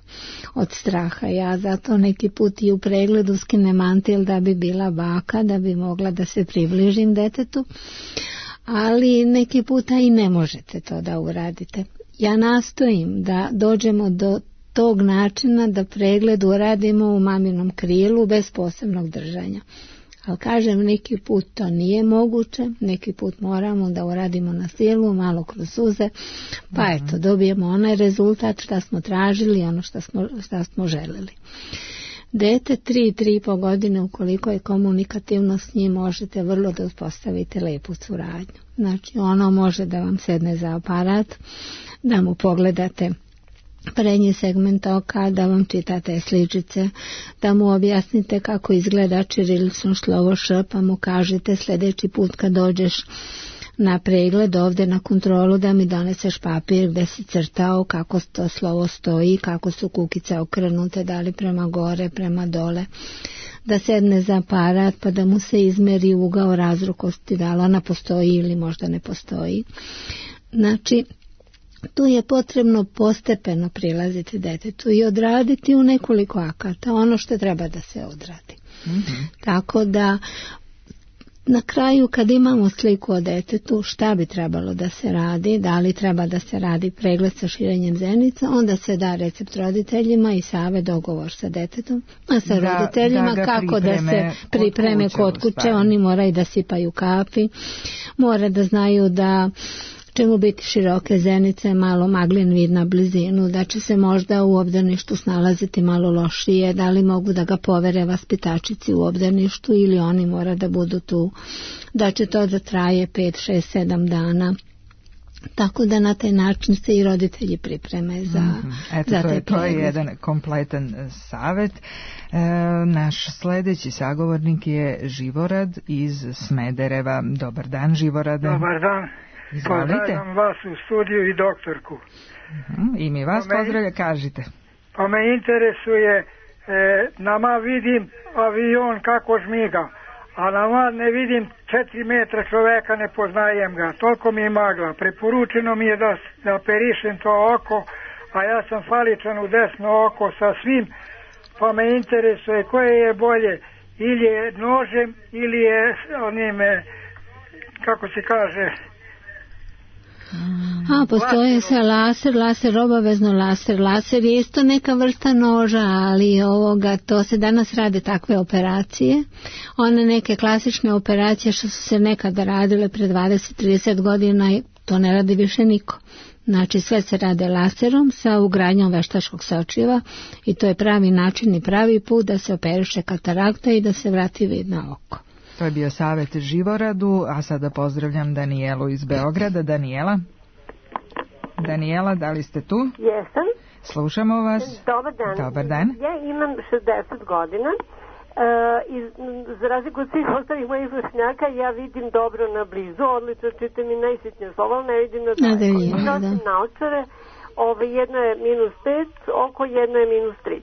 od straha. Ja zato neki put i u pregledu skinem mantil da bi bila baka, da bi mogla da se približim detetu, ali neki puta i ne možete to da uradite. Ja nastojim da dođemo do tog načina da pregled uradimo u maminom krilu bez posebnog držanja. Ali kažem, neki put to nije moguće, neki put moramo da uradimo na silu, malo kroz suze, pa mm-hmm. eto, dobijemo onaj rezultat šta smo tražili, ono šta smo, šta smo želeli. Dete tri, tri i po godine, ukoliko je komunikativno s njim, možete vrlo da uspostavite lepu suradnju. Znači, ono može da vam sedne za aparat, da mu pogledate prednji segment oka, da vam čitate sličice, da mu objasnite kako izgleda ćirilično slovo Š, pa mu kažete sljedeći put kad dođeš na pregled ovdje na kontrolu da mi doneseš papir gdje si crtao kako to slovo stoji, kako su kukice okrenute, da li prema gore, prema dole, da sedne za aparat pa da mu se izmeri ugao razrukosti, da li ona postoji ili možda ne postoji. Znači, tu je potrebno postepeno prilaziti detetu i odraditi u nekoliko akata ono što treba da se odradi. Mm-hmm. Tako da na kraju kad imamo sliku o detetu šta bi trebalo da se radi, da li treba da se radi pregled sa širenjem zenica, onda se da recept roditeljima i savjet, dogovor sa detetom, a sa da, roditeljima da kako da se pripreme kod kuće. Oni moraju da sipaju kapi, mora da znaju da će mu biti široke zenice, malo maglin vid na blizinu, da će se možda u obdaništu snalaziti malo lošije, da li mogu da ga povere vaspitačici u obdaništu ili oni mora da budu tu, da će to da traje pet, šest, sedam dana. Tako da na taj način se i roditelji pripreme za, mm-hmm. Eto, za to, taj je, to je jedan kompletan savjet. E, naš sljedeći sagovornik je Živorad iz Smedereva. Dobar dan, Živorade. Dobar dan. Pozdravljam vas u studiju i doktorku. Uh-huh. I mi vas pozdravlja, kažite. Pa me interesuje, e, nama vidim avion kako žmiga, a nama ne vidim četiri metra čoveka, ne poznajem ga, toliko mi je magla. Preporučeno mi je da, da operišem to oko, a ja sam faličan u desno oko sa svim, pa me interesuje koje je bolje, ili je nožem, ili je onim, kako se kaže... A, postoje se laser, laser, obavezno laser. Laser je isto neka vrsta noža, ali ovoga, to se danas rade takve operacije. One neke klasične operacije što su se nekada radile pre dvadeset do trideset godina, to ne radi više niko. Znači sve se rade laserom sa ugradnjom veštačkog sočiva i to je pravi način i pravi put da se operiše katarakta i da se vrati vid na oko. To je bio savjet Živoradu, a sada pozdravljam Danijelu iz Beograda. Danijela? Danijela, da li ste tu? Jesam. Slušamo vas. Dobar dan. Dobar dan. Ja imam šezdeset godina. E, iz, za razliku od svih ostalih mojih vršnjaka, ja vidim dobro na blizu, odlično čitam i najsitnije slova, ali ne vidim na daleko. Nosim naočare, ove, jedno je minus pet, oko jedno je minus tri.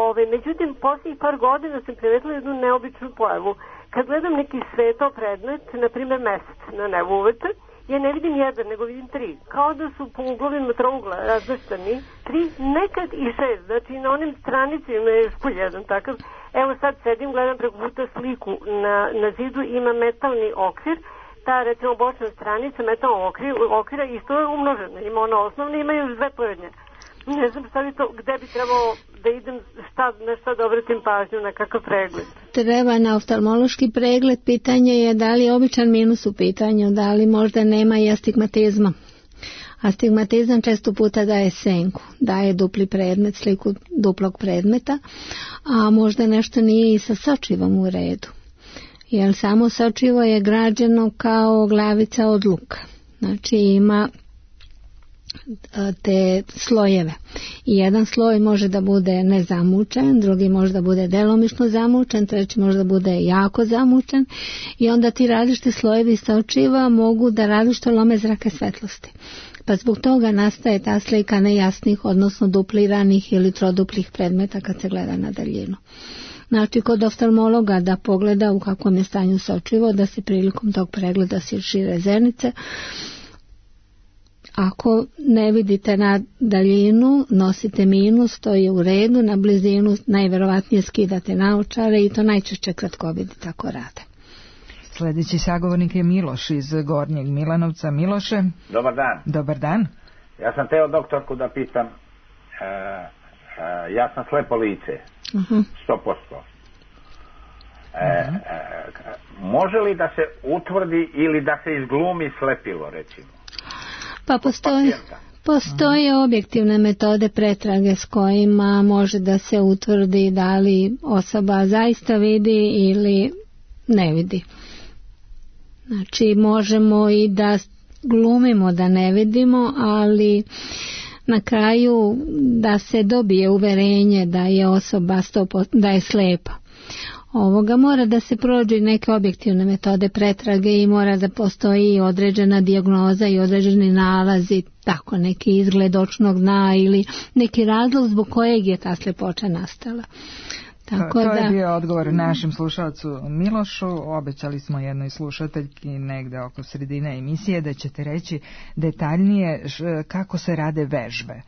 Ove, međutim, posljednjih par godina sam primetila jednu neobičnu pojavu. Kad gledam neki sveto predmet, na primjer mesec na nebu uveče, ja ne vidim jedan, nego vidim tri. Kao da su po uglovima trougla razvrstani, tri, nekad i šest. Znači na onim stranicima je špulj jedan takav. Evo sad sedim, gledam preko puta sliku na, na zidu, ima metalni okvir. Ta recimo bočna stranica metalnog okvira, okvira isto je umnožena. Ima ona osnovna, ima još dve porednje. Ne znam šta bi to, gde bi trebalo da idem, šta, na šta da obratim pažnju, na kakav pregled. Treba na oftalmološki pregled. Pitanje je da li je običan minus u pitanju, da li možda nema i astigmatizma. Astigmatizam često puta daje senku, daje dupli predmet, sliku duplog predmeta, a možda nešto nije i sa sočivom u redu. Jer samo sočivo je građeno kao glavica od luka. Znači ima te slojeve. I jedan sloj može da bude nezamučen, drugi može da bude delomično zamučen, treći može da bude jako zamučen i onda ti različite slojevi sočiva mogu da različito lome zrake svetlosti. Pa zbog toga nastaje ta slika nejasnih, odnosno dupliranih ili troduplih predmeta kad se gleda na daljinu. Znači, kod oftalmologa da pogleda u kakvom je stanju sočivo, da se prilikom tog pregleda šire zenice. Ako ne vidite na daljinu, nosite minus, to je u redu, na blizinu najverovatnije skidate naočare i to najčešće kratkovidi tako rade. Sljedeći sagovornik je Miloš iz Gornjeg Milanovca. Miloše. Dobar dan. Dobar dan. Ja sam teo doktorku da pitam, e, e, ja sam slepo lice, uh-huh. sto posto. E, uh-huh. e, može li da se utvrdi ili da se izglumi slepilo, recimo? Pa postoji, postoje objektivne metode pretrage s kojima može da se utvrdi da li osoba zaista vidi ili ne vidi. Znači možemo i da glumimo da ne vidimo, ali na kraju da se dobije uverenje da je osoba sto, da je slepa. Ovoga mora da se prođe neke objektivne metode pretrage i mora da postoji određena dijagnoza i određeni nalazi, tako neki izgled očnog dna ili neki razlog zbog kojeg je ta slepoća nastala. Tako to, to da... je bio odgovor našem slušalcu Milošu. Obećali smo jednoj slušateljki negde oko sredine emisije da ćete reći detaljnije kako se rade vežbe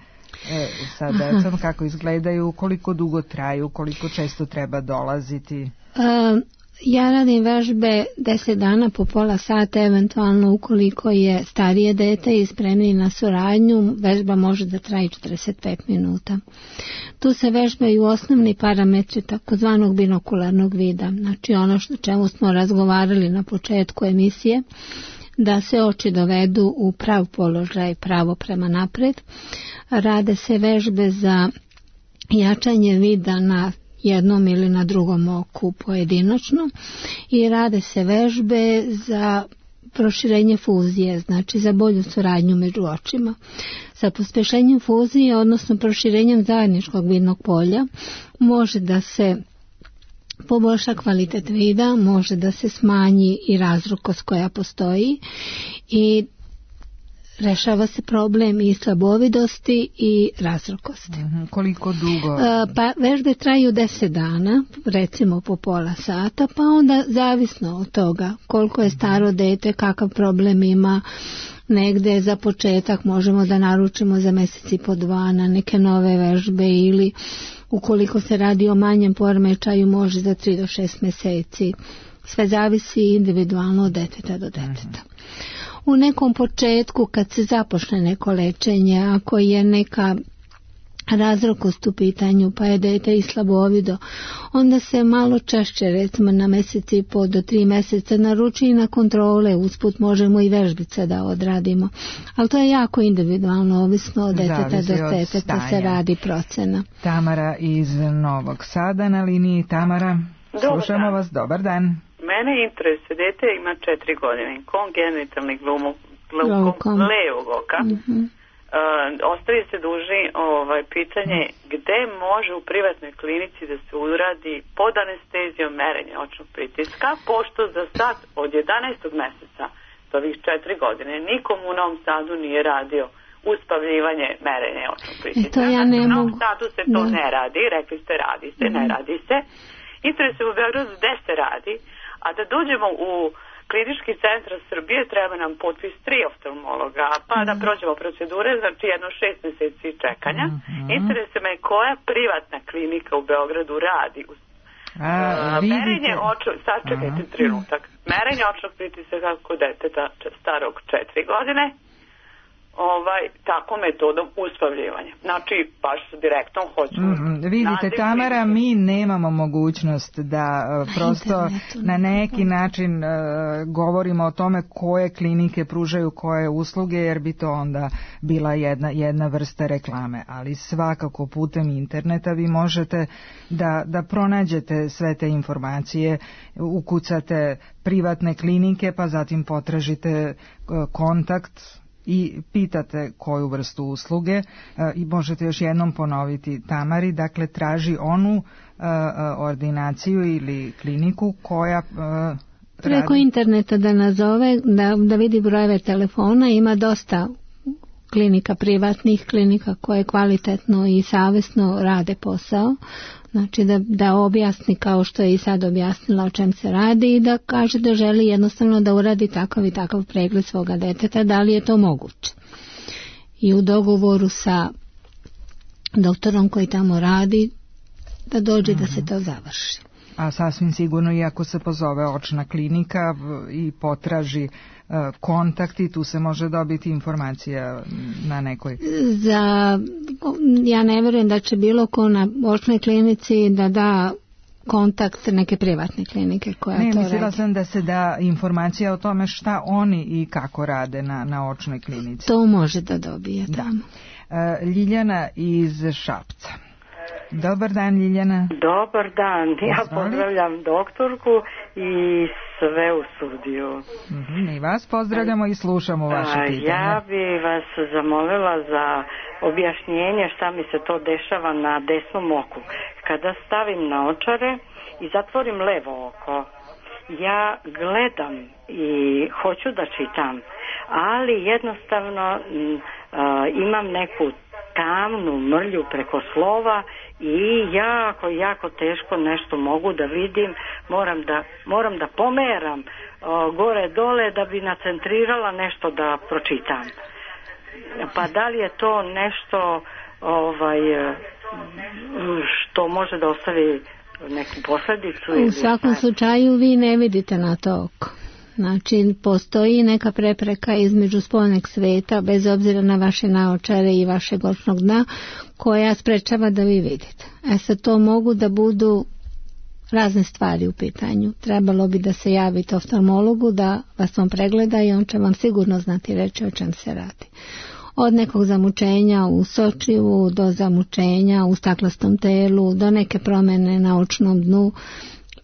e, sa decom, kako izgledaju, koliko dugo traju, koliko često treba dolaziti. Um, ja radim vežbe deset dana po pola sata, eventualno ukoliko je starije dete i spremni na suradnju, vežba može da traje četrdeset pet minuta. Tu se vežbaju osnovni parametri takozvanog binokularnog vida, znači ono što čemu smo razgovarali na početku emisije, da se oči dovedu u prav položaj, pravo prema napred. Rade se vežbe za jačanje vida na jednom ili na drugom oku pojedinačno i rade se vežbe za proširenje fuzije, znači za bolju suradnju među očima. Sa pospešenjem fuzije, odnosno proširenjem zajedničkog vidnog polja, može da se poboljša kvalitet vida, može da se smanji i razrukost koja postoji i rešava se problem i slabovidosti i razrukosti. Mm-hmm. Koliko dugo? Pa vežbe traju deset dana, recimo po pola sata, pa onda zavisno od toga koliko je staro dete, kakav problem ima. Negde za početak možemo da naručimo za mjesec i po dva na neke nove vežbe ili ukoliko se radi o manjem poremećaju može za tri do šest mjeseci. Sve zavisi individualno od deteta do deteta. U nekom početku kad se započne neko lečenje, ako je neka razrokost u pitanju pa je dete i slabovido, onda se malo češće, recimo na mjesec i po do tri mjeseca naruči i na kontrole, usput možemo i vežbice da odradimo. Ali to je jako individualno, ovisno od deteta do deteta se radi procena. Tamara iz Novog Sada na liniji. Tamara, slušamo vas, dobar dan. Mene interesuje, dete ima četiri godine, kongenitalni glaukom levog oka. Mm-hmm. Uh, ostavi se duži ovaj, pitanje gde može u privatnoj klinici da se uradi pod anestezijom merenje očnog pritiska, pošto za sad od jedanaestog meseca do ovih četiri godine nikom u Novom Sadu nije radio uspavljivanje merenje očnog pritiska. E, ja ne u Novom mogu... Sadu se to da. ne radi, rekli ste radi se, mm-hmm. ne radi se. Interesuje u Beogradu gde se radi, a da dođemo u klinički centar Srbije treba nam potpis tri oftalmologa, pa da prođemo procedure, znači jedno šest mjeseci čekanja. Mm-hmm. Interesuje me koja privatna klinika u Beogradu radi u A, vidite... merenje očnog, sačekajte trenutak, trenutak, merenje očnog pritiska kod deteta starog četiri godine, ovaj, tako metodom uspavljivanja. Znači, baš su direktno hoću. Mm, vidite, Tamara, mi nemamo mogućnost da uh, prosto na neki način uh, govorimo o tome koje klinike pružaju koje usluge, jer bi to onda bila jedna, jedna vrsta reklame. Ali svakako putem interneta vi možete da, da pronađete sve te informacije, ukucate privatne klinike, pa zatim potražite uh, kontakt i pitate koju vrstu usluge e, i možete još jednom ponoviti Tamari, dakle traži onu e, ordinaciju ili kliniku koja e, preko radi... interneta da nazove, da, da vidi brojeve telefona, ima dosta klinika privatnih, klinika koje kvalitetno i savjesno rade posao, znači da, da objasni kao što je i sad objasnila o čem se radi i da kaže da želi jednostavno da uradi takav i takav pregled svoga deteta, da li je to moguće. I u dogovoru sa doktorom koji tamo radi da dođe mm-hmm. da se to završi. A sasvim sigurno i ako se pozove očna klinika i potraži uh, kontakt i tu se može dobiti informacija na nekoj... Za, ja ne vjerujem da će bilo ko na očnoj klinici da da kontakt neke privatne klinike koja ne, to mislila radi. sam da se da informacija o tome šta oni i kako rade na, na očnoj klinici. To može da dobije tamo. Da. Uh, Ljiljana iz Šapca. Dobar dan, Ljiljana. Dobar dan, ja pozdravljam doktorku i sve u studiju. Mm-hmm, i vas pozdravljamo i slušamo vaše pitanje. Ja bi vas zamolila za objašnjenje šta mi se to dešava na desnom oku. Kada stavim naočare i zatvorim levo oko, ja gledam i hoću da čitam, ali jednostavno m, a, imam neku tamnu mrlju preko slova i jako, jako teško nešto mogu da vidim, moram da, moram da pomeram o, gore dole da bi nacentrirala nešto da pročitam. Pa da li je to nešto ovaj, što može da ostavi neku posljedicu? U svakom slučaju vi ne vidite na to oko. Znači, postoji neka prepreka između spoljnog sveta, bez obzira na vaše naočare i vašeg očnog dna, koja sprečava da vi vidite. E sad, to mogu da budu razne stvari u pitanju. Trebalo bi da se javite oftalmologu, da vas on pregleda i on će vam sigurno znati reći o čem se radi. Od nekog zamučenja u sočivu, do zamučenja u staklastom telu, do neke promjene na očnom dnu.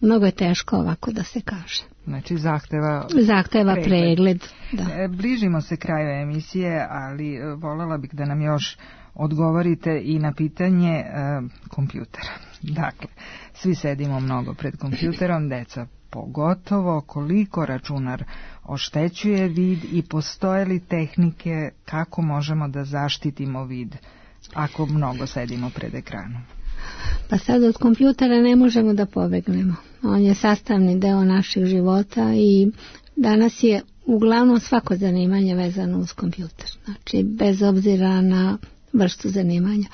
Mnogo je teško ovako da se kaže. Znači zahteva, zahteva pregled. pregled da. Bližimo se kraju emisije, ali voljela bih da nam još odgovorite i na pitanje e, kompjutera. Dakle, svi sedimo mnogo pred kompjuterom, deca pogotovo, koliko računar oštećuje vid i postoje li tehnike kako možemo da zaštitimo vid ako mnogo sedimo pred ekranom? Pa sad od kompjutera ne možemo da pobegnemo. On je sastavni deo naših života i danas je uglavnom svako zanimanje vezano uz kompjuter. Znači, bez obzira na vrstu zanimanja.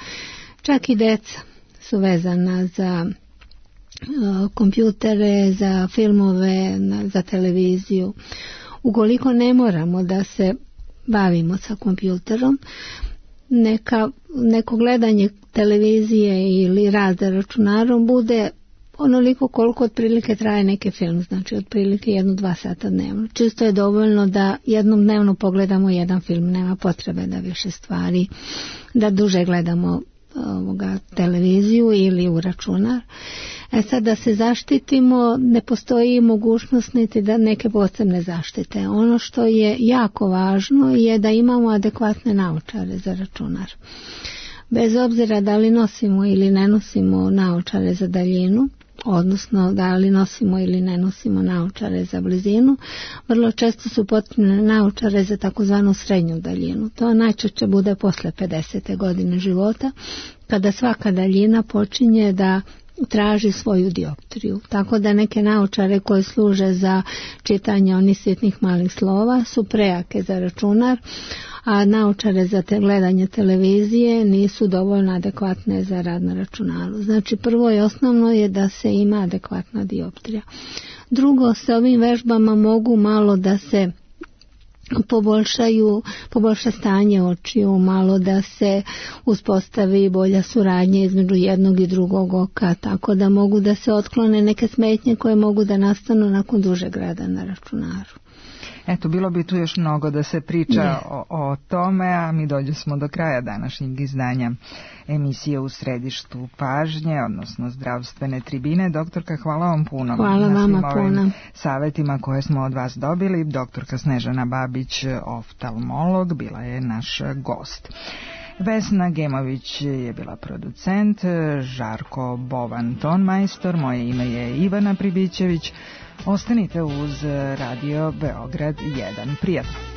Čak i deca su vezana za uh, kompjutere, za filmove, na, za televiziju. Ukoliko ne moramo da se bavimo sa kompjuterom, neka, neko gledanje televizije ili rad za računarom bude onoliko koliko otprilike traje neki film, znači otprilike jedno, dva sata dnevno. Čisto je dovoljno da jednom dnevno pogledamo jedan film, nema potrebe da više stvari, da duže gledamo ovoga, televiziju ili u računar. E sad da se zaštitimo, ne postoji mogućnost niti da neke posebne zaštite. Ono što je jako važno je da imamo adekvatne naočare za računar. Bez obzira da li nosimo ili ne nosimo naočare za daljinu, odnosno da li nosimo ili ne nosimo naočare za blizinu, vrlo često su potrebne naočare za takozvanu srednju daljinu. To najčešće bude posle pedesete godine života, kada svaka daljina počinje da traži svoju dioptriju. Tako da neke naočare koje služe za čitanje onih sitnih malih slova su prejake za računar, a naočare za te gledanje televizije nisu dovoljno adekvatne za rad na računaru. Znači, prvo i osnovno je da se ima adekvatna dioptrija. Drugo, sa ovim vežbama mogu malo da se poboljšaju, poboljša stanje očiju, malo da se uspostavi bolja suradnja između jednog i drugog oka, tako da mogu da se otklone neke smetnje koje mogu da nastanu nakon dužeg rada na računaru. Eto, bilo bi tu još mnogo da se priča o, o tome, a mi dođe smo do kraja današnjeg izdanja emisije U središtu pažnje, odnosno zdravstvene tribine. Doktorka, hvala vam puno. Hvala vama puno. Savetima koje smo od vas dobili. Doktorka Snežana Babić, oftalmolog, bila je naš gost. Vesna Gemović je bila producent, Žarko Bovan tonmajstor, moje ime je Ivana Pribićević. Ostanite uz Radio Beograd jedan. Prijatno.